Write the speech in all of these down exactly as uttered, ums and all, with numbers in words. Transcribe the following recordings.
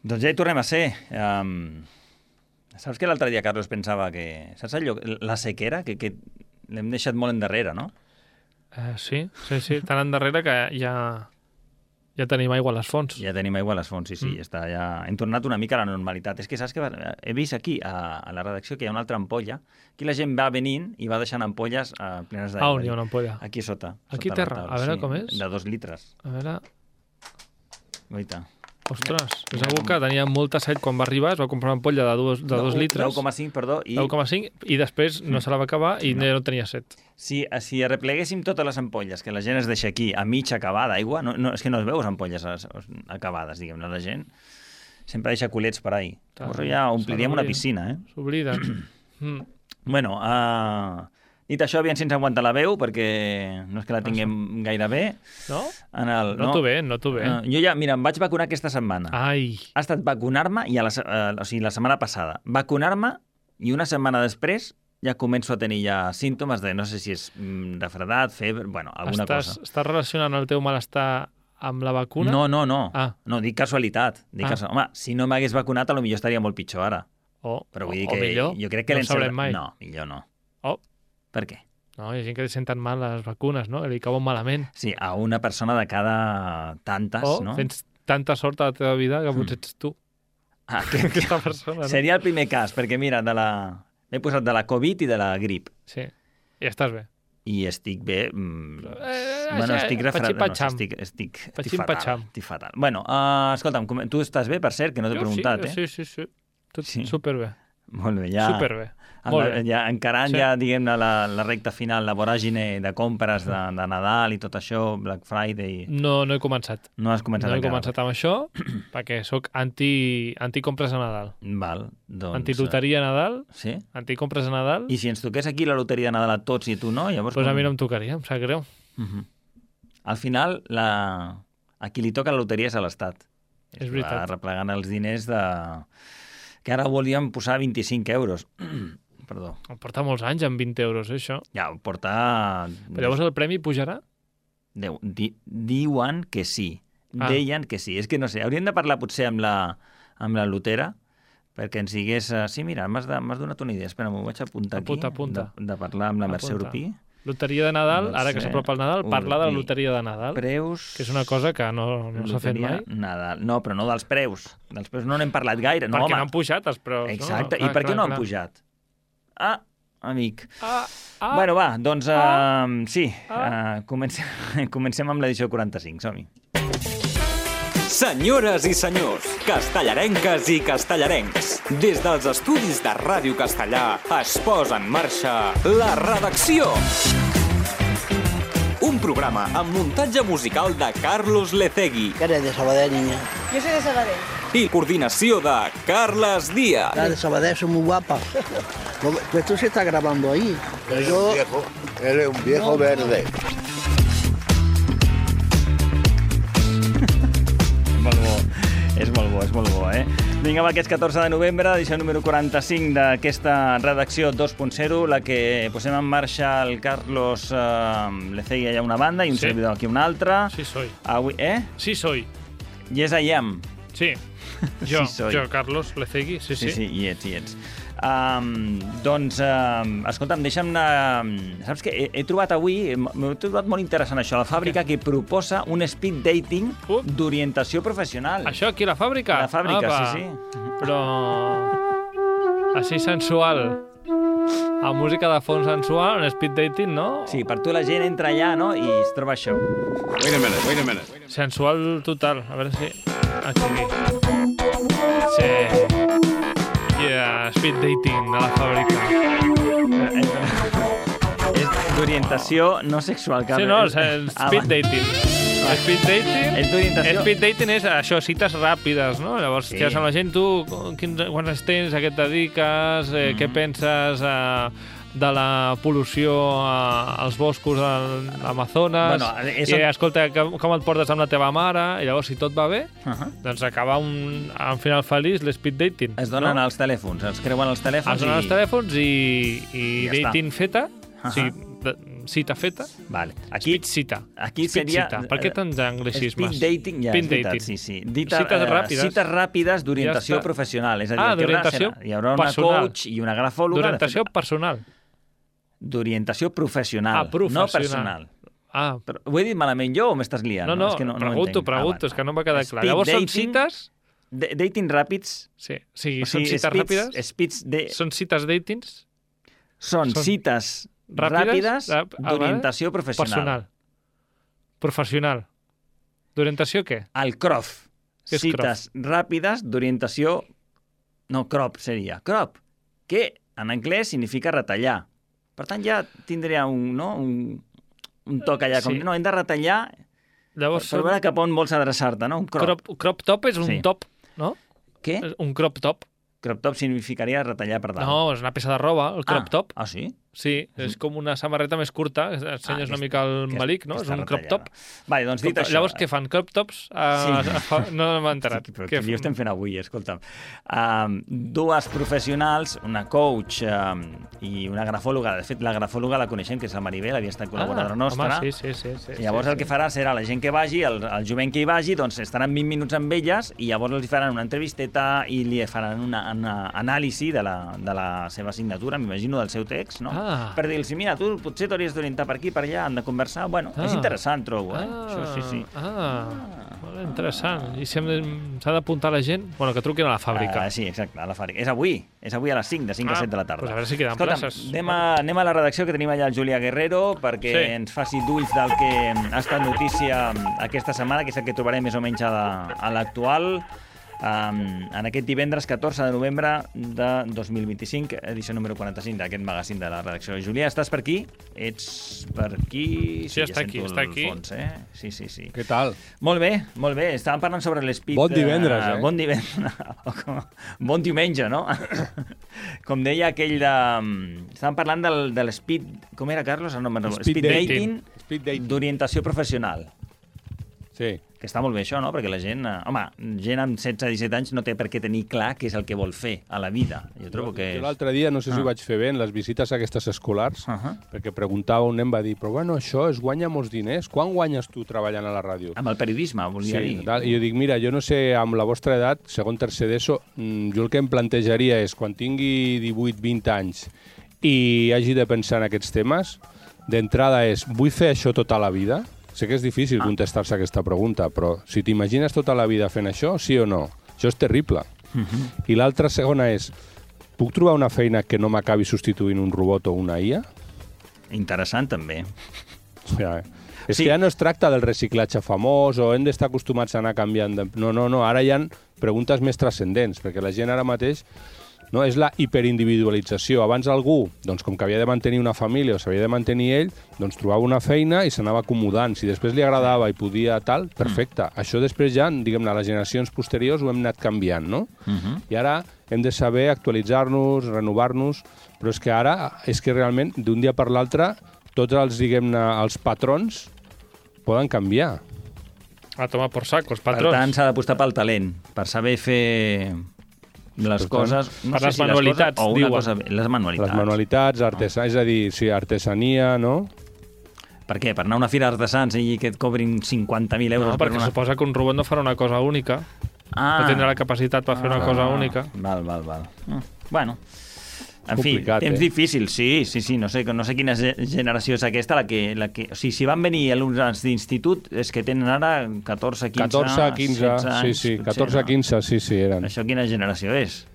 Doncs ja hi tornem a ser. Um, saps que l'altre dia, Carlos, pensava que... Saps allò? La sequera, que, que l'hem deixat molt endarrere, no? Uh, sí, sí, sí. Tan endarrere que ja, ja tenim aigua a les fonts. Ja tenim aigua a les fonts, sí, sí. Mm. Està ja... Hem tornat una mica a la normalitat. És que saps que he vist aquí, a, a la redacció, que hi ha una altra ampolla. Aquí la gent va venint i va deixant ampolles uh, plenes d'aigua. Ah, on hi ha una ampolla? Aquí sota. Aquí sota terra. A veure sí, com és. De dos litres. A veure... Guaita. Ostres, és algú que tenia molta set quan va arribar, es va comprar una ampolla de dos, de dos litres. deu coma cinc, perdó. I... deu coma cinc, i després no se la va acabar i no, no tenia set. Si, si arrepleguéssim totes les ampolles que la gent es deixa aquí a mig acabar d'aigua, no, no, és que no es veus ampolles acabades, diguem-ne, la gent sempre deixa culets per ahí. Llavors ja ompliríem una piscina, eh? S'obliden. mm. Bueno, uh, dit això, aviam si ens aguanta la veu, perquè no és que la tinguem ah, gaire bé. No? En el, no? Noto bé, noto bé. Uh, jo ja, mira, em vaig vacunar aquesta setmana. Ai. Ha estat vacunar-me, i a la, uh, o sigui, la setmana passada, vacunar-me, i una setmana després ja començo a tenir ja símptomes de, no sé si és mm, refredat, febre, bueno, alguna Estàs, cosa. Estàs relacionant el teu malestar amb la vacuna? No, no, no. Ah. No, dic casualitat. Dic ah. casual... Home, si no m'hagués vacunat, potser estaria molt pitjor ara. Oh, Però vull dir o, que o millor, jo crec que no ho sabrem mai. No, millor no. Oh. Per què? No, hi ha gent que li senten mal les vacunes, no? Li cauen malament. Sí, a una persona de cada tantes, oh, no? Tens tanta sort a la teva vida que potser ets tu. Ah, que, aquesta persona, no? Seria el primer cas, perquè mira, de la... m'he posat de la Covid i de la grip. Sí, i estàs bé. I estic bé... Mm, eh, bueno, estic refredat. No, estic, estic, estic fatal. Estic fatal. Bueno, uh, escolta'm, tu estàs bé, per cert, que no t'he preguntat, sí, eh? Sí, sí, sí. Tot sí. superbé. Molt bé, ja... Superbé. Molt bé. Ja, encarant sí. ja, diguem-ne, la, la recta final, la voràgine de compres de, de Nadal i tot això, Black Friday... No, no he començat. No has començat No he encara. començat amb això, perquè sóc anti, anti-compres a Nadal. Val, doncs... Anti-loteria a Nadal, sí? anti-compres a Nadal... I si ens toqués aquí la loteria de Nadal a tots i tu no, llavors... Doncs pues com... a mi no em tocaria, em sap greu. Uh-huh. Al final, la... a qui li toca la loteria és a l'Estat. És veritat. Va replegant els diners de... que ara volíem posar vint-i-cinc euros. Perdó. Em porta molts anys amb vint euros, eh, això. Ja, ho porta... Però llavors el premi pujarà? Déu, di, diuen que sí. Ah. Deien que sí. És que no sé, hauríem de parlar potser amb la, amb la lotera perquè ens digués... Uh, sí, mira, m'has donat una idea. Espera, m'ho vaig apuntar apunta, aquí. Apunta. De, de parlar amb la Mercè Urpí. Loteria de Nadal, no ara sé, que s'apropa el Nadal, parlar de la loteria de Nadal. Preus... Que és una cosa que no, no s'ha fet mai. Nadal. No, però no dels preus. Dels preus no n'hem parlat gaire. No, perquè home. no han pujat els preus. Exacte. No? Clar, I per què clar, no clar. han pujat? Ah, amic. Ah, ah, bueno, va, doncs uh, ah, sí, ah. uh, comencem, comencem amb l'edició quaranta-cinc, som-hi. Senyores i senyors, castellarenques i castellarencs, des dels estudis de Ràdio Castellà es posa en marxa La Redacció. Un programa amb muntatge musical de Carlos Lecegui. Que eres de Sabadell, niña. Yo soy de Sabadell. I coordinació de Carles Díaz. La de Sabadell son muy guapas. Pues esto se está grabando ahí. Pero yo... viejo, él es un viejo no, verde. Molt bo, és molt bo, és molt bo, eh? Vinga, va, aquest catorze de novembre, edició número quaranta-cinc d'aquesta redacció dos punt zero, la que posem en marxa el Carlos eh, Lecegui allà una banda i un sí. servidor aquí una altra. Sí, soy. Avui, eh? Sí, soy. Yes, I am. Sí, jo, sí, soy. jo Carlos Lecegui, sí, sí. Sí, sí, hi ets, hi ets. Um, doncs, um, escolta'm, deixa'm anar... Saps què? He, he trobat avui, m'he trobat molt interessant això, la fàbrica okay. que proposa un speed dating uh. d'orientació professional. Això aquí a la fàbrica? A la fàbrica, Apa. sí, sí. Però... així sensual. A música de fons sensual, un speed dating, no? Sí, per tu la gent entra allà, no?, i es troba això. Wait a minute, wait a minute. Sensual total, a veure si... Aquí. Sí. Yeah, speed dating a la fàbrica. És d'orientació no sexual. Sí, no, és el speed dating. El speed dating... És d'orientació... Speed dating és això, cites ràpides, no? Llavors, sí. Quedes amb la gent, tu, quins, quants tens, a què et dediques, eh, mm. què penses eh, de la pol·lució eh, als boscos de l'Amazones, bueno, és... i escolta, com et portes amb la teva mare, i llavors, si tot va bé, uh -huh. doncs acaba un, un final feliç l'speed dating. Es donen no? els telèfons, els creuen els telèfons es donen i... els telèfons i, i ja dating està. feta, uh -huh. o sigui, de, cita feta. Vale. Aquí, Speed cita. Aquí Speed seria... cita. Per què tants anglicismes? Speed dating, ja, Speed és veritat, dating. sí, sí. Dita, Cites eh, ràpides. Cites ràpides d'orientació Ja està. professional. És a dir, Ah, el que haurà d'orientació serà- hi haurà una personal. coach i una grafòloga... D'orientació de fet, personal. D'orientació professional, Ah, professional. no personal. Ah, Però, ho he dit malament jo o m'estàs liant? no, no, és que no, no pregunto, entenc. pregunto, Ah, és que no m'ha quedat clar. Speed Llavors són dating- cites... D dating ràpids... Sí, sí, O són sigui, cites speeds, ràpides? speeds de... Són cites datings? Són són cites ràpides? ràpides Ah, ah, d'orientació professional. Personal. Professional. D'orientació què? El C R O F. Què és Cites ràpides d'orientació... No, crop seria. Crop, que en anglès significa retallar. Per tant, ja tindria un, no? un, un toc allà. Com, Sí. no, hem de retallar per, Llavors, per veure cap on vols adreçar-te, no? Un crop. crop, crop top és un Sí. top, no? Què? És un crop top. Crop top significaria retallar per dalt. No, és una peça de roba, el crop ah. top. Ah, sí? Sí, és com una samarreta més curta, ensenyes Ah, una mica el que- malic, no? que És està un crop retallada. top. Vale, doncs dit Com- això... Llavors, què fan? Crop tops? Uh, Sí. sí. No m'he enterat. Sí, però Què què fan? estem fent avui, escolta'm. Um, dues professionals, una coach um, i una grafòloga. De fet, la grafòloga la coneixem, que és la Maribel, havia estat col·laboradora ah, nostra. Home, sí, sí, sí. sí I llavors sí, el que farà serà la gent que vagi, el, el jovent que hi vagi, doncs estaran vint minuts amb elles i llavors els faran una entrevisteta i li faran una, una anàlisi de la, de la seva assignatura, m'imagino, del seu text, no? Ah. Per dir-los, mira, tu potser t'hauries d'orientar per aquí, per allà, han de conversar. Bueno, Ah. és interessant, trobo, eh? Ah, Això sí, sí. Ah, molt interessant. I si hem de- s'ha d'apuntar la gent? Bueno, que truquin a la fàbrica. Uh, sí, exacte, a la fàbrica. És avui, és avui a les cinc, de cinc Ah, a set de la tarda. doncs a veure si queden Escolta'm, places. Anem a, anem a la redacció, que tenim allà el Julià Guerrero, perquè Sí. ens faci d'ulls del que ha estat notícia aquesta setmana, que és el que trobarem més o menys a la- a l'actual, um, en aquest divendres catorze de novembre de dos mil vint-i-cinc, edició número quaranta-cinc d'aquest magazín de la redacció. Julià, estàs per aquí? Ets per aquí? Sí, està ja aquí, sento està el aquí. Fons, eh? Sí, sí, sí. Què tal? Molt bé, molt bé. Estàvem parlant sobre l'Speed... Bon divendres, eh? Bon divendres. Bon diumenge, no? Com deia aquell de... Estàvem parlant del, de l'Speed... Com era, Carlos? No, no, Speed speed dating. dating, Speed dating. d'orientació professional. Sí. Que està molt bé això, no? Perquè la gent... eh, Home, gent amb setze disset anys no té per què tenir clar què és el que vol fer a la vida. Jo trobo que... Jo és- l'altre dia, no sé si Ah. ho vaig fer bé, en les visites aquestes escolars, Uh -huh. perquè preguntava un nen, va dir, però bueno, això es guanya molts diners. Quan guanyes tu treballant a la ràdio? Amb el periodisme, volia Sí, dir. tal. I jo dic, mira, jo no sé, amb la vostra edat, segon, tercer d'ESO, mm, jo el que em plantejaria és, quan tingui divuit vint anys i hagi de pensar en aquests temes, d'entrada és, vull fer això tota la vida? Sé que és difícil contestar-se aquesta pregunta, però si t'imagines tota la vida fent això, sí o no? Això és terrible. I l'altra segona és, puc trobar una feina que no m'acabi substituint un robot o una I A? Interessant, també. Ja, és Sí. que ja no es tracta del reciclatge famós o hem d'estar acostumats a anar canviant. De... No, no, no, ara hi ha preguntes més transcendents, perquè la gent ara mateix no, és la hiperindividualització. Abans algú, doncs, com que havia de mantenir una família o s'havia de mantenir ell, doncs trobava una feina i s'anava acomodant. Si després li agradava i podia tal, perfecte. Mm. Això després ja, diguem-ne, les generacions posteriors ho hem anat canviant, no? Uh -huh. I ara hem de saber actualitzar-nos, renovar-nos, però és que ara, és que realment, d'un dia per l'altre, tots els, diguem-ne, els patrons poden canviar. A tomar por saco, els Per patrons. tant, s'ha d'apostar pel talent, per saber fer les Per tant, coses... per les manualitats, coses, o una diuen. cosa, les manualitats. Les manualitats, artesà, és a dir, sí, artesania, no? Per què? Per anar a una fira d'artesans i que et cobrin cinquanta mil euros No, per perquè una... suposa que un robot no farà una cosa única. Ah. No tindrà la capacitat per fer una cosa única. Val, val, val. Mm. Bueno, en fi, Complicat, temps eh? difícil, sí, sí, sí, no sé, no sé quina ge- generació és aquesta, la que, la que... O sigui, si van venir alumnes d'institut, és que tenen ara catorze, quinze, catorze, quinze, setze anys, sí, sí, potser, catorze, no? quinze, sí, sí, eren. Això quina generació és?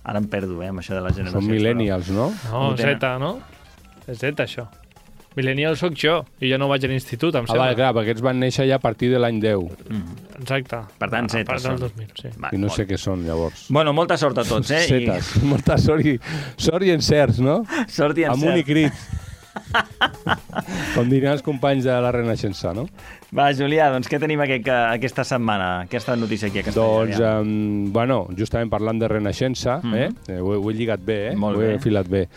Ara em perdo, eh, amb això de les generacions. Són millennials, no? No, Ho tenen. Z, no? És Z, això. Millennial sóc jo, i jo no vaig a l'institut, em Ah, sembla. vale, clar, perquè aquests van néixer ja a partir de l'any deu, Exacte. Per tant, A Z part del són. dos mil, sí. Va, i no molt. sé què són, llavors. Bueno, molta sort a tots, eh? Zetes, molta sort i, sort i encerts, no? I... Sort i Amb un i encert. crit. Com dirien els companys de la Renaixença, no? Va, Julià, doncs què tenim aquest, aquesta setmana? Aquesta notícia aquí a Castellà? Doncs, um, bueno, justament parlant de Renaixença, Mhm. eh? eh ho, he- ho he lligat bé, eh? Molt ho he bé. filat bé.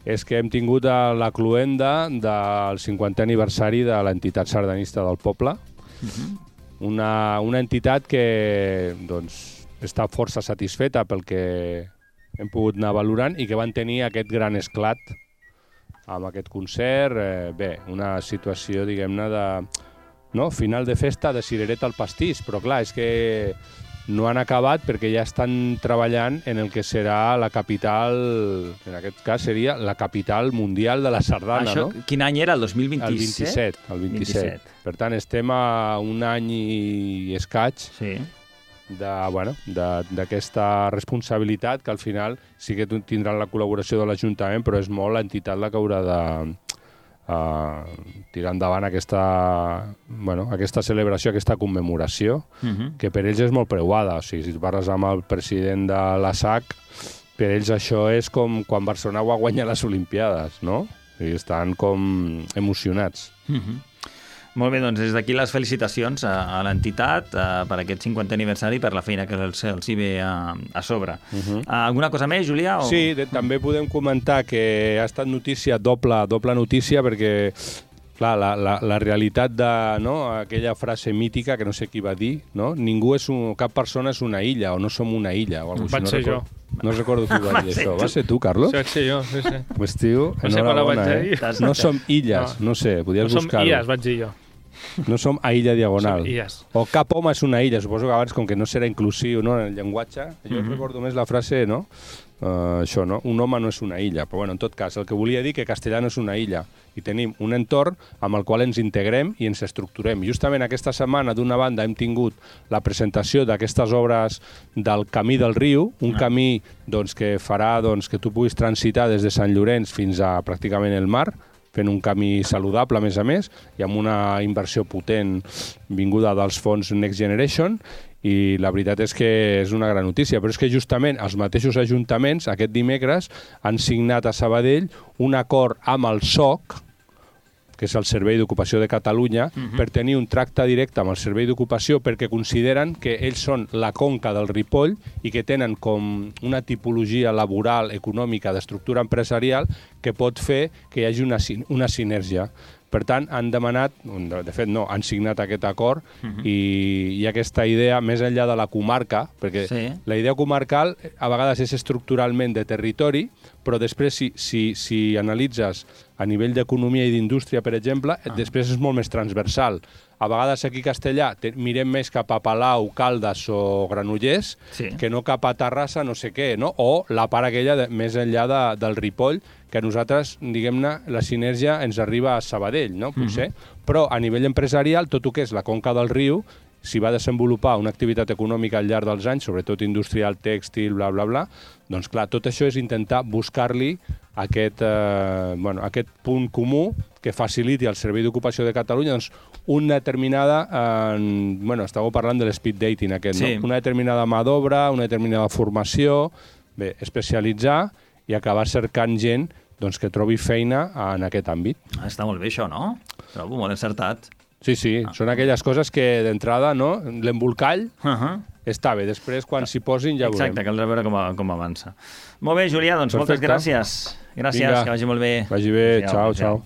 És que hem tingut a la cluenda del cinquantè aniversari de l'entitat sardanista del poble, Mhm. una, una entitat que doncs, està força satisfeta pel que hem pogut anar valorant i que van tenir aquest gran esclat amb aquest concert. Eh, bé, una situació, diguem-ne, de... No? Final de festa de cirereta al pastís, però clar, és que no han acabat perquè ja estan treballant en el que serà la capital, en aquest cas seria la capital mundial de la sardana, Això, no? Quin any era, el dos mil vint-i-set? El vint-i-set, el vint-i-set. vint-i-set. Per tant, estem a un any i escaig sí. de, bueno, d'aquesta responsabilitat que al final sí que tindran la col·laboració de l'Ajuntament, però és molt l'entitat la que haurà de Uh, tirar endavant aquesta, bueno, aquesta celebració, aquesta commemoració, uh -huh. que per ells és molt preuada. O sigui, si parles amb el president de l'A S A C, per ells això és com quan Barcelona va guanyar les Olimpiades, no? O sigui, estan com emocionats. Uh -huh. Molt bé, doncs des d'aquí les felicitacions a, a l'entitat per aquest cinquantè aniversari, per la feina que els, els hi ve a, a sobre. Uh -huh. Alguna cosa més, Julià? O... Sí, de, també podem comentar que ha estat notícia, doble, doble notícia, perquè clar, la, la, la realitat de, no, aquella frase mítica que no sé qui va dir, no? Ningú és un, cap persona és una illa, o no som una illa, o alguna cosa. Vaig no ser recordo, jo. No recordo qui va dir això. Va ser tu, Carlos? Vaig ser jo, sí, sí. Pues, tio, no sé quan la vaig eh? No som illes, no, no sé, podies no buscar-ho. No som illes, vaig dir jo. No som a illa diagonal. Som illes. O cap home és una illa. Suposo que abans, com que no serà inclusiu, no, en el llenguatge, jo mm-hmm. recordo més la frase, no? Uh, això, no? Un home no és una illa. Però, bueno, en tot cas, el que volia dir que Castellà no és una illa. I tenim un entorn amb el qual ens integrem i ens estructurem. Justament aquesta setmana, d'una banda, hem tingut la presentació d'aquestes obres del Camí del Riu, un ah. camí doncs, que farà doncs, que tu puguis transitar des de Sant Llorenç fins a pràcticament el mar, fent un camí saludable, a més a més, i amb una inversió potent vinguda dels fons Next Generation, i la veritat és que és una gran notícia, però és que justament els mateixos ajuntaments aquest dimecres han signat a Sabadell un acord amb el S O C, que és el Servei d'Ocupació de Catalunya, uh-huh. per tenir un tracte directe amb el Servei d'Ocupació perquè consideren que ells són la conca del Ripoll i que tenen com una tipologia laboral, econòmica, d'estructura empresarial que pot fer que hi hagi una, una sinergia. Per tant, han demanat, de fet no, han signat aquest acord uh-huh. i, i aquesta idea, més enllà de la comarca, perquè sí. la idea comarcal a vegades és estructuralment de territori, però després si, si, si analitzes a nivell d'economia i d'indústria, per exemple, ah. després és molt més transversal. A vegades aquí a Castellà te, mirem més cap a Palau, Caldes o Granollers sí. que no cap a Terrassa, no sé què, no? O la part aquella de, més enllà de, del Ripoll, que a nosaltres, diguem-ne, la sinergia ens arriba a Sabadell, no? Potser. Mm-hmm. Però a nivell empresarial, tot el que és la conca del riu, si va desenvolupar una activitat econòmica al llarg dels anys, sobretot industrial, tèxtil, bla, bla, bla, doncs clar, tot això és intentar buscar-li aquest, eh, bueno, aquest punt comú que faciliti al Servei d'Ocupació de Catalunya doncs, una determinada, eh, bueno, estàveu parlant de l'speed dating aquest, sí. no? Una determinada mà d'obra, una determinada formació, bé, especialitzar i acabar cercant gent doncs, que trobi feina en aquest àmbit. Ah, està molt bé això, no? Trobo molt encertat. Sí, sí, ah. són aquelles coses que d'entrada, no? L'embolcall uh -huh. està bé, després quan s'hi posin ja veurem. Exacte, caldrà veure com, com avança. Molt bé, Julià, doncs Perfecte. moltes gràcies. Gràcies, Vinga. que vagi molt bé. Vagi bé, ciao, ciao.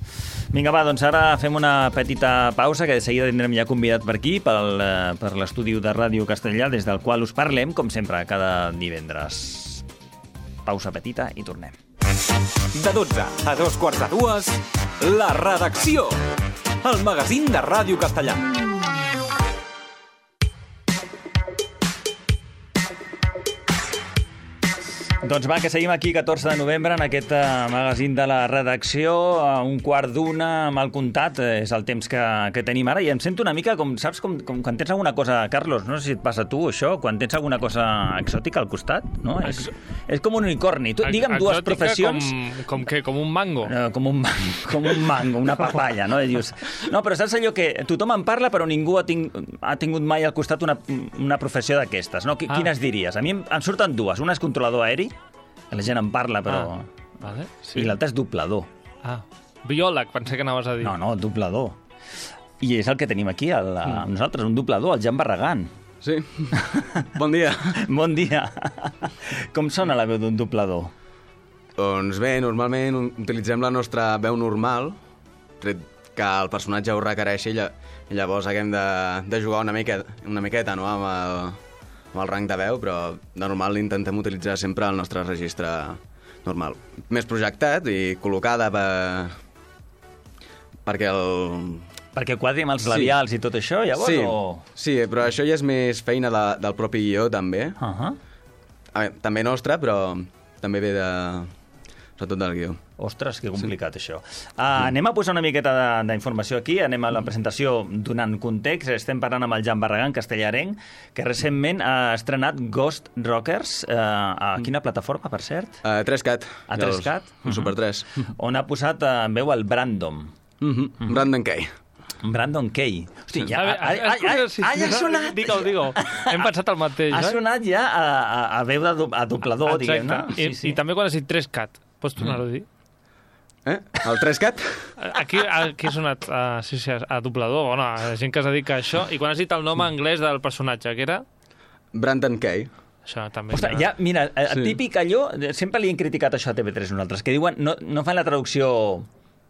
Vinga, va, doncs ara fem una petita pausa, que de seguida tindrem ja convidat per aquí, pel, per l'estudi de Ràdio Castellà, des del qual us parlem, com sempre, cada divendres. Pausa petita i tornem. De dotze a dos quarts de dues, La Redacció, el magazín de Ràdio Castellà. Doncs va, que seguim aquí catorze de novembre en aquest uh, magazín de la redacció, a un quart d'una mal comptat, és el temps que, que tenim ara, i em sento una mica com, saps, com, com quan tens alguna cosa, Carlos, no sé si et passa a tu això, quan tens alguna cosa exòtica al costat, no? Ex... És, és com un unicorni. Tu, digue'm dues professions... Com, com què? Com un mango? No, com un mango, com un mango, una papaya, no? I dius, no, però saps allò que tothom en parla però ningú ha, ting, ha tingut mai al costat una, una professió d'aquestes, no? Qu ah. Quines diries? A mi em, em surten dues. Una és controlador aeri, que la gent en parla, però... Ah, vale, sí. I l'altre és doblador. Ah, biòleg, pensé que anaves a dir. No, no, doblador. I és el que tenim aquí, el, mm. nosaltres, un doblador, el Jan Barragán. Sí. Bon dia. Bon dia. Com sona la veu d'un doblador? Doncs bé, normalment utilitzem la nostra veu normal, tret que el personatge ho requereixi, i llavors haguem de, de jugar una miqueta, una miqueta no? amb el... amb el rang de veu, però de normal intentem utilitzar sempre el nostre registre, normal. Més projectat i col·locada per... perquè el... Perquè quadri amb els labials sí. i tot això, llavors? Sí, o... sí, però això ja és més feina de, del propi guió, també. Uh -huh. A veure, també nostra, però també ve de... sobretot del guió. Ostres, que complicat, sí. això. Uh, anem a posar una miqueta d'informació aquí, anem a la presentació donant context. Estem parlant amb el Jan Barragán, castellarenc, que recentment ha estrenat Ghost Rockers. Uh, a quina plataforma, per cert? A tres cat. A tres cat? A Super tres. On ha posat uh, en veu el Brandon. Mm -hmm. Mm -hmm. Brandon Kay. Brandon Kay. Hosti, ja, ja, ja, ja, ja, ja, ja ha sonat. Digue-ho, digue-ho. Hem pensat el mateix. Ha sonat ja a, a, a veu de do, a doblador, diguem-ne. I, sí, sí. I també quan has dit tres cat. Pots tornar-ho a dir? Eh? El tres cat? Aquí, aquí ha sonat uh, sí, sí, a doblador, bueno, a gent que es dedica a això. I quan has dit el nom anglès del personatge, que era? Brandon Kay. Això també... Ostres, ja, mira, sí. típic allò, sempre li hem criticat això a T V tres nosaltres, que diuen, no, no fan la traducció,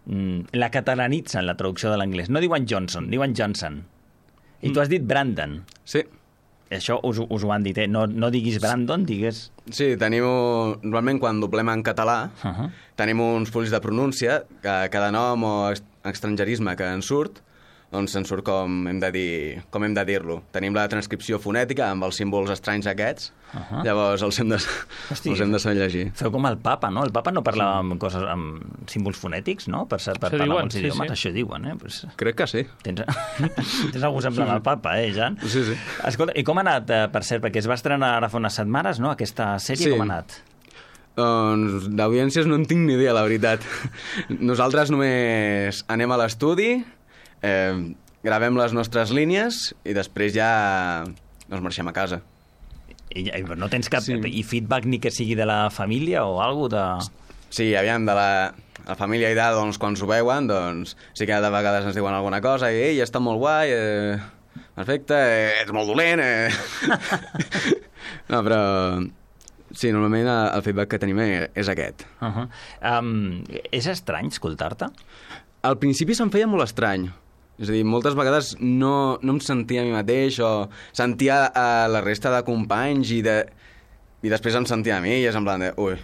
mm, la catalanitzen, la traducció de l'anglès. No diuen Johnson, diuen Johnson. I mm. tu has dit Brandon. Sí. Això us, us ho han dit, eh? No, no diguis Brandon, digues... Sí, tenim... Normalment, quan doblem en català, uh -huh. tenim uns fulls de pronúncia, que cada nom o estrangerisme que en surt, doncs en surt com hem de dir, com hem de dir-lo. Tenim la transcripció fonètica amb els símbols estranys aquests, uh -huh. llavors els hem de, Hosti, els hem de saber llegir. Feu com el papa, no? El papa no parla amb coses, amb símbols fonètics, no? Per, per parlar amb els sí, idiomes, sí. Això diuen, eh? Pues... Crec que sí. Tens, Tens algú semblant al papa, eh, Jan? Sí, sí. Escolta, i com ha anat, per cert? Perquè es va estrenar ara fa unes setmanes, no? Aquesta sèrie, sí. Com ha anat? Doncs d'audiències no en tinc ni idea, la veritat. Nosaltres només anem a l'estudi, eh, gravem les nostres línies i després ja ens marxem a casa. I, i no tens cap... Sí. I feedback ni que sigui de la família o alguna de... Sí, aviam, de la, la família i de, doncs, quan s'ho veuen, doncs sí que de vegades ens diuen alguna cosa i ei, està molt guai, eh, perfecte, eh, ets molt dolent, eh... No, però... Sí, normalment el feedback que tenim és aquest. Uh -huh. um, és estrany escoltar-te? Al principi se'm feia molt estrany. És a dir, moltes vegades no, no em sentia a mi mateix o sentia a la resta de companys i, de, i després em sentia a mi i és en plan de... Ui.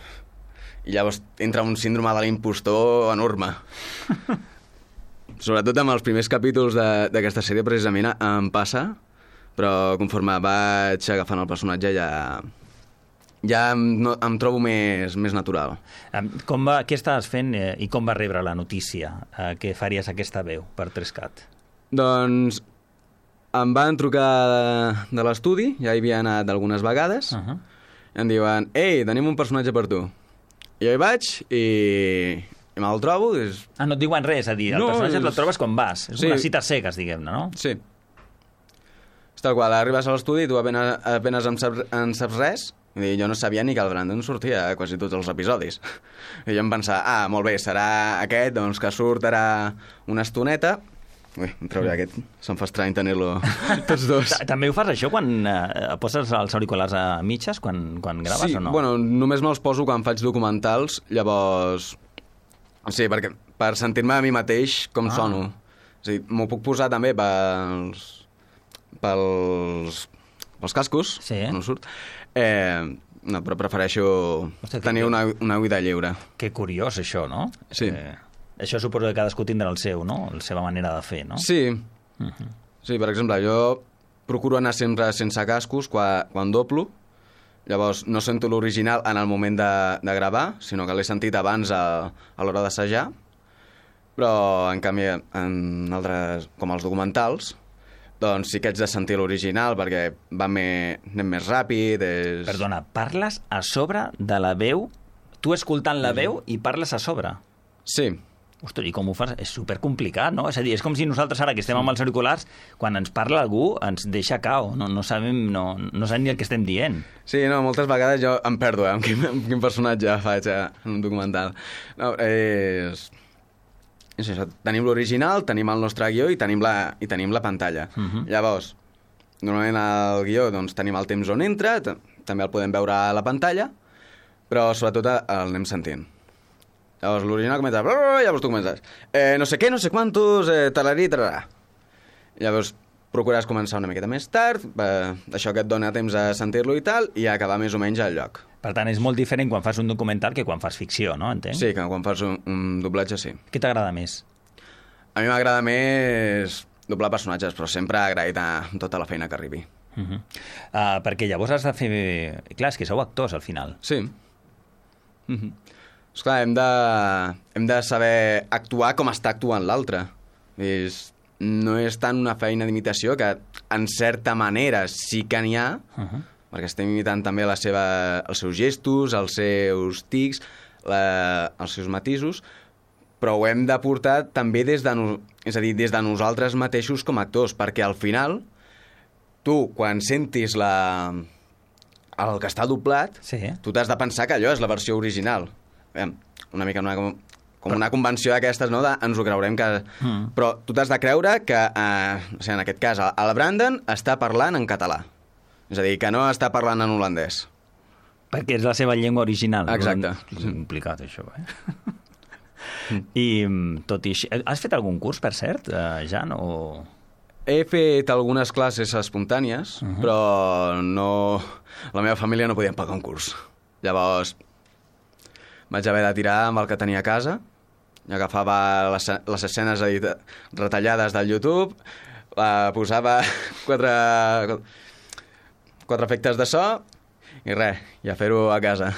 I llavors entra un síndrome de l'impostor enorme. Sobretot amb els primers capítols d'aquesta sèrie precisament em passa, però conforme vaig agafant el personatge ja... ja em, no, em trobo més, més natural. Com va, què estaves fent eh, i com va rebre la notícia eh, que faries aquesta veu per tres cat? Doncs em van trucar de, de l'estudi, ja hi havia anat algunes vegades, uh -huh. i em diuen, ei, tenim un personatge per tu. I jo hi vaig i, i me'l trobo. És... Ah, no et diuen res, a dir, el no, personatge és... el trobes quan vas. És sí. Una cita cegues, diguem-ne, no? Sí. És tal qual, arribes a l'estudi i tu apenes, apenes en, saps, en saps res. I jo no sabia ni que el Brandon sortia a quasi tots els episodis. I jo em pensava, ah, molt bé, serà aquest, doncs que surt ara una estoneta. Ui, em trauré aquest. Se'm fa estrany tenir-lo tots dos. També ho fas, això, quan eh, poses els auriculars a mitges, quan, quan graves, sí, o no? Bueno, només me'ls poso quan faig documentals, llavors... Sí, perquè per sentir-me a mi mateix com ah. sono. És a dir, m'ho puc posar també pels... pels... pels cascos, sí. No surt. Eh, no, però prefereixo Hosti, tenir que... una, una vida lliure. Que curiós, això, no? Sí. Eh, això suposo que cadascú tindrà el seu, no? La seva manera de fer, no? Sí. Uh -huh. Sí, per exemple, jo procuro anar sempre sense cascos quan, quan doblo. Llavors, no sento l'original en el moment de, de gravar, sinó que l'he sentit abans a, a l'hora d'assajar. Però, en canvi, en altres, com els documentals, doncs sí que ets de sentir l'original perquè va més, anem més ràpid. És... Perdona, parles a sobre de la veu? Tu escoltant la veu i parles a sobre? Sí. Ostres, i com ho fas? És supercomplicat, no? És a dir, és com si nosaltres ara que estem amb els auriculars, quan ens parla algú ens deixa cao, no, no sabem no, no sabem ni el que estem dient. Sí, no, moltes vegades jo em perdo, eh, amb quin, amb quin personatge faig eh, en un documental. No, és... És això, tenim l'original, tenim el nostre guió i tenim la, i tenim la pantalla. Uh -huh. Llavors, normalment al guió doncs, tenim el temps on entra, també el podem veure a la pantalla, però sobretot el anem sentint. Llavors l'original comença... Llavors tu comences... Eh, no sé què, no sé quantos, eh, talarí, talarà. Llavors procures començar una miqueta més tard, eh, això que et dona temps a sentir-lo i tal, i acabar més o menys al lloc. Per tant, és molt diferent quan fas un documental que quan fas ficció, no? Entenc? Sí, que quan fas un, un doblatge, sí. Què t'agrada més? A mi m'agrada més doblar personatges, però sempre agraït a tota la feina que arribi. Uh -huh. uh, perquè llavors has de fer... Clar, és que sou actors, al final. Sí. Uh -huh. Esclar, hem de, hem de saber actuar com està actuant l'altre. És... No és tant una feina d'imitació, que en certa manera sí que n'hi ha, uh -huh. perquè estem imitant també la seva, els seus gestos, els seus tics, la, els seus matisos, però ho hem de portar també des de, no, és a dir, des de nosaltres mateixos com a actors, perquè al final tu, quan sentis la, el que està doblat, sí. tu t'has de pensar que allò és la versió original. Una mica una, com, com una convenció d'aquestes, no? De, ens ho creurem que... Mm. Però tu t'has de creure que, eh, o sigui, en aquest cas, el Brandon està parlant en català. És a dir, que no està parlant en holandès. Perquè és la seva llengua original. Exacte. És complicat, això, eh? I tot i així... Has fet algun curs, per cert, eh, Jan, o...? He fet algunes classes espontànies, uh -huh. però no... La meva família no podia pagar un curs. Llavors, vaig haver de tirar amb el que tenia a casa, agafava les, les escenes edita, retallades del YouTube, la posava quatre... quatre efectes de so i res, i a fer-ho a casa.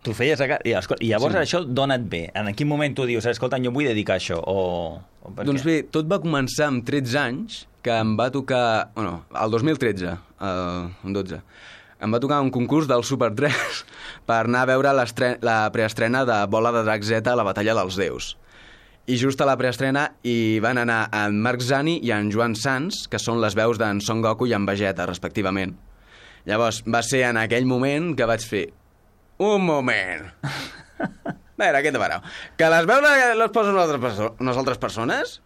Tu feies a casa... I, I llavors sí. Això dona et bé. En quin moment tu dius, escolta, jo vull dedicar a això? O... o doncs bé, tot va començar amb tretze anys, que em va tocar... Bueno, el dos mil tretze, el dotze, em va tocar un concurs del Super tres per anar a veure la preestrena de Bola de Drac Z a la Batalla dels Déus. I just a la preestrena hi van anar en Marc Zani i en Joan Sans, que són les veus d'en Son Goku i en Vegeta, respectivament. Llavors, va ser en aquell moment que vaig fer un moment. A veure, què t'apareu? Que les veus les posen unes altres, perso unes altres persones?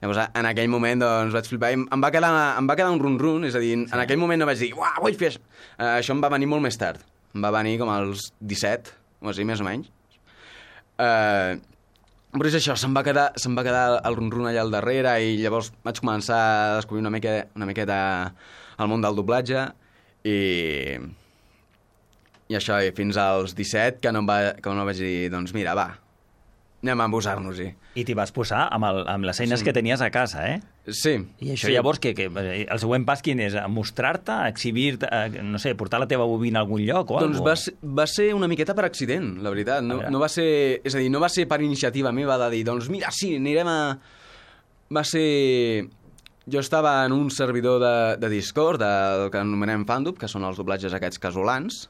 Llavors, en aquell moment, doncs, vaig flipar i em va quedar, em va quedar un run-run, és a dir, sí. En aquell moment no vaig dir, uah, vull fer això. Uh, això em va venir molt més tard. Em va venir com als disset, o així, més o menys. Uh, però és això, se'm va quedar, se'm va quedar el run-run allà al darrere i llavors vaig començar a descobrir una mica, una miqueta el món del doblatge i... I això, i fins als disset, que no, em va, que no vaig dir, doncs mira, va, anem a posar-nos-hi. I t'hi vas posar amb, el, amb les eines sí. que tenies a casa, eh? Sí. I això sí. llavors, que, que el següent pas quin és? Mostrar-te, exhibir-te, no sé, portar la teva bobina a algun lloc o doncs alguna cosa? Doncs va, va ser una miqueta per accident, la veritat. No, no va ser, és a dir, no va ser per iniciativa meva de dir, doncs mira, sí, anirem a... Va ser... Jo estava en un servidor de, de Discord, del que anomenem Fandub, que són els doblatges aquests casolans,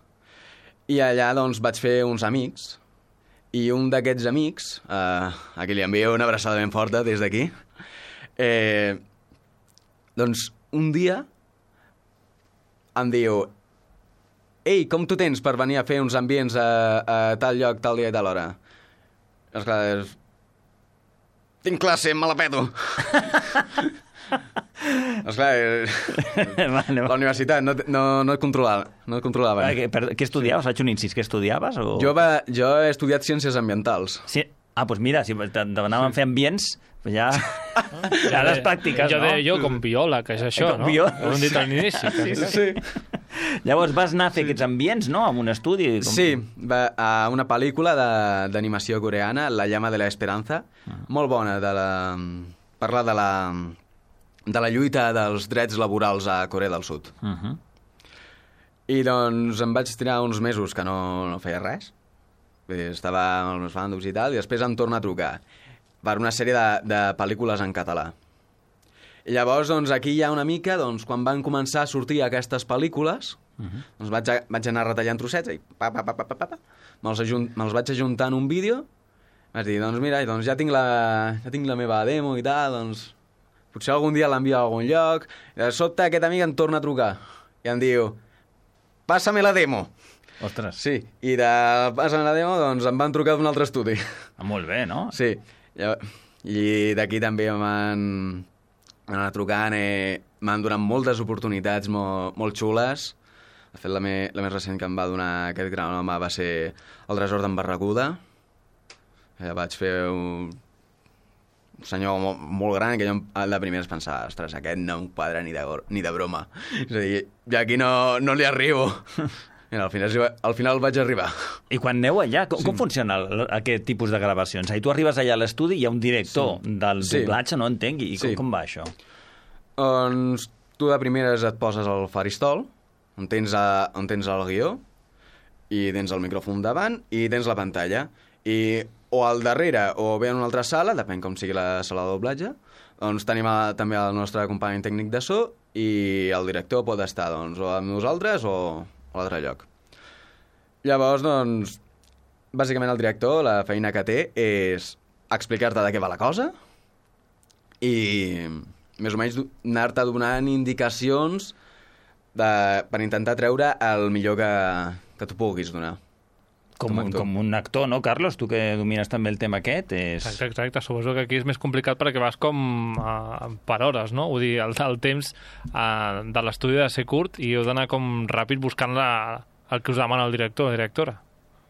i allà doncs vaig fer uns amics, i un d'aquests amics, eh, a qui li envio una abraçada ben forta des d'aquí, eh, doncs un dia em diu, ei, com tu tens per venir a fer uns ambients a, a tal lloc, tal dia i tal hora? Esclar, és... tinc classe, me la peto. Esclar, vale, la universitat no, no, no et controlava. No et controlava. Què, per, què estudiaves? Faig un incís. Què estudiaves? O... Jo, va, jo he estudiat Ciències Ambientals. Sí. Ah, doncs mira, si t'anàvem sí. a fer ambients, ja... ja les pràctiques, jo no? Jo jo com biòleg, que és això, com no? Biòleg. Ho hem dit al inici. Sí, sí. sí. Llavors vas anar a fer sí. aquests ambients, no?, en un estudi. Com... Sí, va, a una pel·lícula d'animació coreana, La llama de la esperanza, ah. molt bona, de la... parla de la... de la lluita dels drets laborals a Corea del Sud. Uh -huh. I doncs em vaig tirar uns mesos que no, no feia res. Estava amb els meus fàndoms i tal, i després em torna a trucar per una sèrie de, de pel·lícules en català. I llavors, doncs, aquí hi ha una mica, doncs, quan van començar a sortir aquestes pel·lícules, uh -huh. doncs vaig, a, vaig anar retallant trossets i pa, pa, pa, pa, pa, pa, me'ls me vaig ajuntar en un vídeo, vaig dir, doncs mira, doncs ja tinc la, ja tinc la meva demo i tal, doncs potser algun dia l'envio a algun lloc, i de sobte aquest amic em torna a trucar i em diu, passa-me la demo. Ostres. Sí, i de passa-me la demo, doncs em van trucar d'un altre estudi. Ah, molt bé, no? Sí, i d'aquí també m'han anat trucant, eh, m'han donat moltes oportunitats molt, molt xules. De fet, la, me, la més recent que em va donar aquest gran home va ser el Tresor d'en Barracuda. Eh, vaig fer un... un senyor molt, molt gran, que jo de primers pensava, ostres, aquest no em quadra ni de, ni de broma. És a dir, jo aquí no, no li arribo. Mira, al final, al final vaig arribar. I quan aneu allà, com, Sí. com funciona el, aquest tipus de gravacions? I tu arribes allà a l'estudi i hi ha un director Sí. del Sí. doblatge, no entenc, i com, Sí. com va això? Doncs tu de primeres et poses al faristol, on tens, a, on tens el guió, i tens el micròfon davant, i tens la pantalla. I o al darrere o bé en una altra sala, depèn com sigui la sala de doblatge, doncs tenim a, també el nostre company tècnic de so i el director pot estar doncs, o amb nosaltres o a l'altre lloc. Llavors, doncs, bàsicament el director, la feina que té és explicar-te de què va la cosa i més o menys anar-te donant indicacions de, per intentar treure el millor que, que tu puguis donar. Com, Com a un, actor. com un actor, no, Carlos? Tu que domines també el tema aquest, és... Exacte, exacte. Suposo que aquí és més complicat perquè vas com uh, per hores, no? Vull dir, el, el temps uh, de l'estudi ha de ser curt i heu d'anar com ràpid buscant la, el que us demana el director o directora.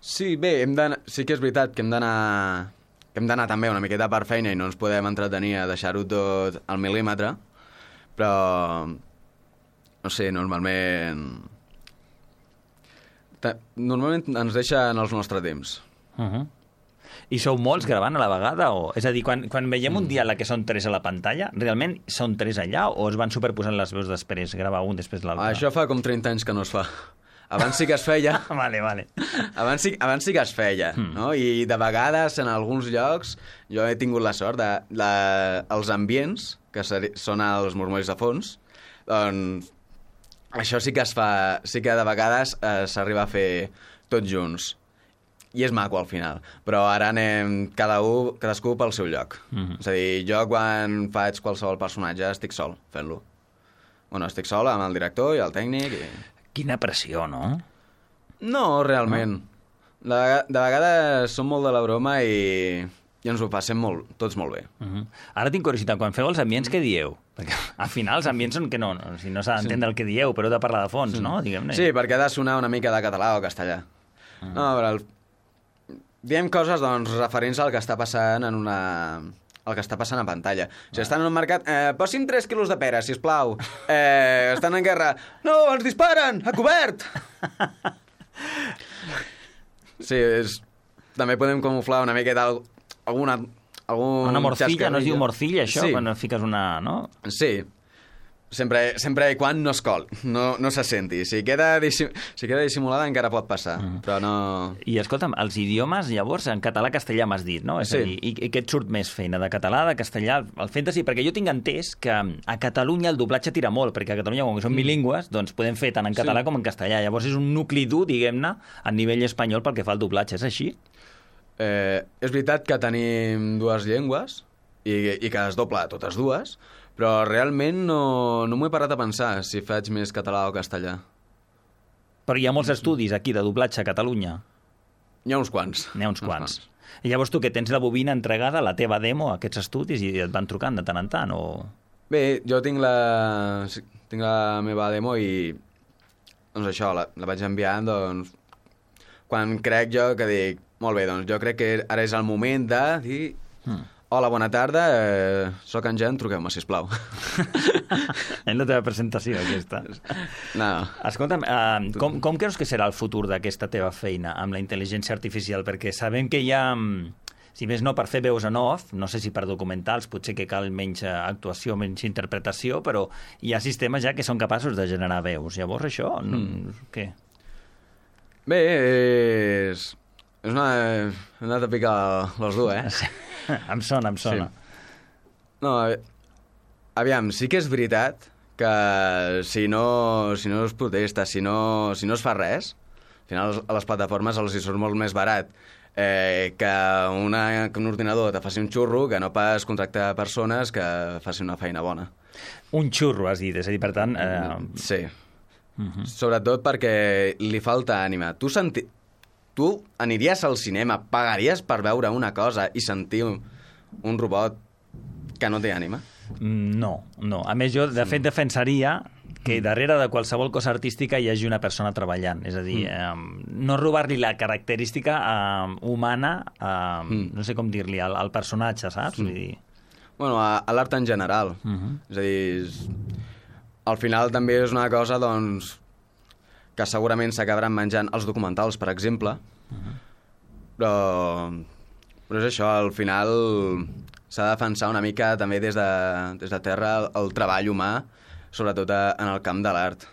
Sí, bé, hem sí que és veritat que hem d'anar que hem d'anar també una miqueta per feina i no ens podem entretenir a deixar-ho tot al mil·límetre, però no sé, normalment normalment ens deixen els nostres temps. Uh -huh. I sou molts gravant a la vegada? O... És a dir, quan, quan veiem Mm. un diàleg que són tres a la pantalla, realment són tres allà o es van superposant les veus després, gravar un després l'altre? Això fa com trenta anys que no es fa. Abans sí que es feia. Vale, vale. Abans sí, abans sí que es feia, Mm. no? I de vegades, en alguns llocs, jo he tingut la sort de... La, els ambients, que seri, són els murmulls de fons, doncs això sí que es fa... Sí que de vegades eh, s'arriba a fer tots junts. I és maco al final. Però ara anem cada un, cadascú pel seu lloc. Mhm. És a dir, jo quan faig qualsevol personatge estic sol fent-lo. Bueno, estic sol amb el director i el tècnic i... Quina pressió, no? No, realment. De, vega- de vegades som molt de la broma i, i ens ho passem molt, tots molt bé. Uh -huh. Ara tinc curiositat, quan feu els ambients, què dieu? Perquè al final els ambients són que no, no, si no s'ha d'entendre el que dieu, però heu de parlar de fons, no? Diguem-ne. Sí, perquè ha de sonar una mica de català o castellà. Uh -huh. No, però el... diem coses doncs, referents al que està passant en una... el que està passant a pantalla. Si estan en un mercat, eh, posi'm tres quilos de pera, sisplau. Eh, estan en guerra. No, ens disparen! A cobert! Sí, és... també podem camuflar una miqueta al- alguna... Algun Una morcilla, no es diu xascarrillo. morcilla, això? Sí. Quan fiques una... no? Sí. Sempre, sempre i quan no es col, no, no se senti. Si queda, dissim, si queda dissimulada encara pot passar, mm. però no... I escolta'm, els idiomes, llavors, en català-castellà m'has dit, no? És Sí. a dir, i, i què et surt més feina, de català, de castellà, el fantasy? Perquè jo tinc entès que a Catalunya el doblatge tira molt, perquè a Catalunya, com que som bilingües, doncs podem fer tant en català Sí. com en castellà. Llavors és un nucli dur, diguem-ne, a nivell espanyol pel que fa al doblatge. És així? Eh, és veritat que tenim dues llengües i, i que es dobla a totes dues, però realment no, no m'ho he parat a pensar si faig més català o castellà. Però hi ha molts estudis aquí de doblatge a Catalunya. N'hi ha uns quants. N'hi ha uns quants. I llavors tu que tens la bobina entregada, la teva demo, a aquests estudis, i et van trucant de tant en tant, o... Bé, jo tinc la, sí, tinc la meva demo i doncs això, la, la vaig enviant doncs, quan crec jo que dic, molt bé, doncs jo crec que ara és el moment de dir Hmm. hola, bona tarda, eh, sóc en Jan, truqueu-me, sisplau. És la teva presentació, aquesta. No. Escolta'm, uh, com, com creus que serà el futur d'aquesta teva feina amb la intel·ligència artificial? Perquè sabem que hi ha, mm, si més no per fer veus en off, no sé si per documentals, potser que cal menys eh, actuació, menys interpretació, però hi ha sistemes ja que són capaços de generar veus. Llavors això, mm. què? Bé, és... És una... Hem anat a picar l'os dur, eh? Em sona, em sona. Sí. No, aviam, sí que és veritat que si no, si no es protesta, si no, si no es fa res, al final a les plataformes els hi surt molt més barat eh, que, una, que un ordinador te faci un xurro que no pas contractar persones que facin una feina bona. Un xurro, has dit, és a dir, per tant... Eh... Sí. Uh-huh. Sobretot perquè li falta ànima. Tu senti... Tu aniries al cinema, pagaries per veure una cosa i sentir un, un robot que no té ànima? No, no. A més, jo, de fet, defensaria que darrere de qualsevol cosa artística hi hagi una persona treballant. És a dir, eh, no robar-li la característica eh, humana, eh, mm. no sé com dir-li, al, al personatge, saps? Mm. Vull dir... Bueno, a, a l'art en general. Uh-huh. És a dir, és... al final també és una cosa, doncs, que segurament s'acabaran menjant els documentals, per exemple. Uh-huh. Però, però és això, al final s'ha de defensar una mica també des de, des de terra el, el treball humà, sobretot a, en el camp de l'art.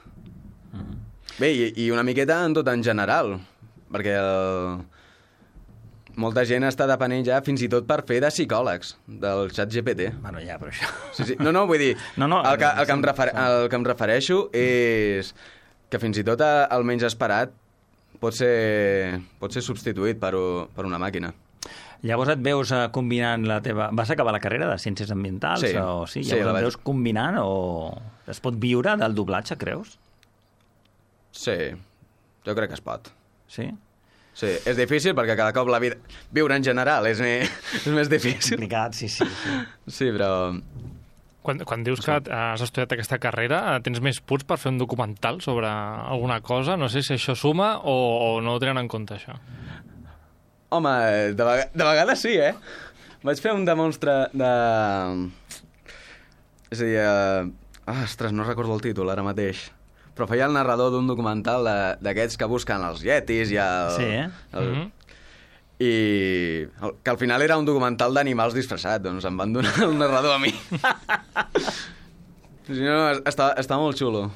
Uh-huh. Bé, i, i una miqueta en tot en general, perquè el, molta gent està depenent ja fins i tot per fer de psicòlegs del xat G P T. Bueno, ja, però això... Sí, sí. No, no, vull dir, no, no, el, que, el, que em refer, el que em refereixo és que fins i tot el menys esperat pot ser, pot ser substituït per, per una màquina. Llavors et veus combinant la teva... Vas acabar la carrera de Ciències Ambientals? Sí. O... sí? Sí, llavors la et vaig... veus combinant o es pot viure del doblatge, creus? Sí, jo crec que es pot. Sí? Sí, és difícil perquè cada cop la vida... Viure en general és més, és més difícil. Complicat, sí, sí. Sí, sí però... Quan, quan dius que has estudiat aquesta carrera, tens més punts per fer un documental sobre alguna cosa? No sé si això suma o, o no ho tenen en compte, això. Home, de, vega... de vegades sí, eh? Vaig fer un demonstre de... És a dir... Uh... Ah, ostres, no recordo el títol ara mateix. Però feia el narrador d'un documental d'aquests que busquen els yetis i el... Sí, eh? El, mm-hmm. I el, que al final era un documental d'animals disfressat, doncs em van donar el narrador a mi. Si no, està, està molt xulo.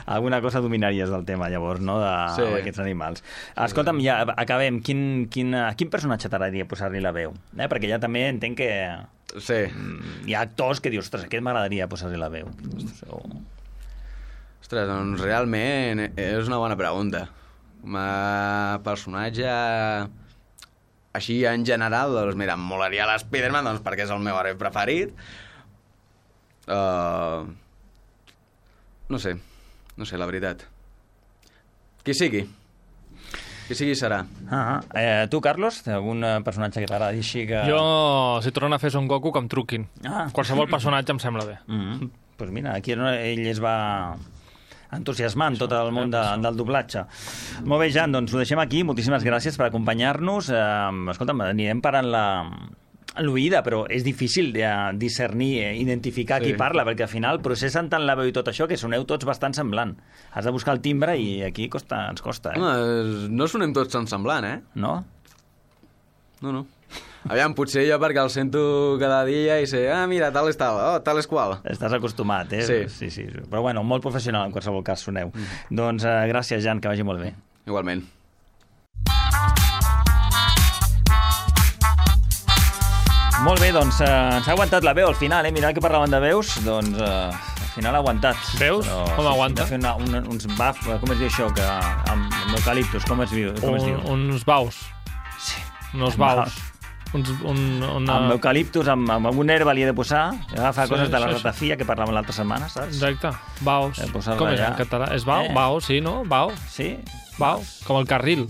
Alguna cosa dominaries del tema, llavors, no?, d'aquests sí. animals. Escolta'm, ja acabem. Quin, quin, quin personatge t'agradaria posar-li la veu? Eh? Perquè ja també entenc que... Sí. Hi ha actors que dius, ostres, aquest m'agradaria posar-li la veu. O... Ostres, doncs realment és una bona pregunta. Com a personatge així en general, doncs mira, em molaria l'Spiderman, doncs perquè és el meu heroi preferit. Uh... No sé, no sé, la veritat. Qui sigui. Qui sigui serà. Ah, eh, tu, Carlos, algun personatge que t'agradi així que... Jo, si tornen a fer Son Goku, que em truquin. Ah. Qualsevol personatge em sembla bé. Mm-hmm. Pues mira, aquí ell es va entusiasmant tot el món de, del doblatge. Molt bé, Jan, doncs ho deixem aquí. Moltíssimes gràcies per acompanyar-nos. Eh, escolta'm, anirem parant la... l'oïda, però és difícil de discernir, identificar sí. qui parla, perquè al final processen tant la veu i tot això que soneu tots bastant semblant. Has de buscar el timbre i aquí costa, ens costa. Eh? No, no sonem tots tan semblant, eh? No? No, no. Aviam, potser jo perquè el sento cada dia i sé, ah, mira, tal és tal, oh, tal és qual. Estàs acostumat, eh? Sí. sí, sí. Però bueno, molt professional en qualsevol cas soneu. Mm. Doncs eh, gràcies, Jan, que vagi molt bé. Igualment. Molt bé, doncs eh, ens ha aguantat la veu al final, eh? Mira que parlaven de veus, doncs eh, al final ha aguantat. Veus? Però, com aguanta? Fer una, una, uns baf, com es diu això, que amb eucaliptus, com es diu? Com es diu? Un, uns baus. Sí. Uns baus. Uns, un, una... Amb eucaliptus, amb, amb un herba li he de posar, agafar sí, coses de la sí, ratafia que parlàvem l'altra setmana, saps? Exacte, baus. Eh, com és allà. en català? És bau? Eh? Bau, sí, no? Bau. Sí. Bau, com el carril.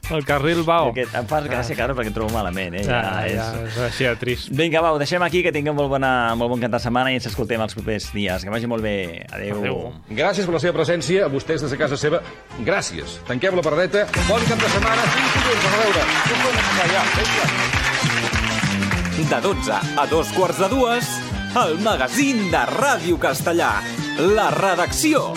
El carril bau. Que em fas gràcia, Carles, perquè et trobo malament, eh? Ja, ja, ja, és... és així de trist. Vinga, va, ho deixem aquí, que tinguem molt, bona, molt bon cap de setmana i ens escoltem els propers dies. Que vagi molt bé. Adéu. Adéu. Gràcies per la seva presència, a vostès des de casa seva. Gràcies. Tanquem la paradeta. Bon cap de setmana. Fins dilluns. A veure. De dotze a dos quarts de dues, el magazín de Ràdio Castellà. La redacció.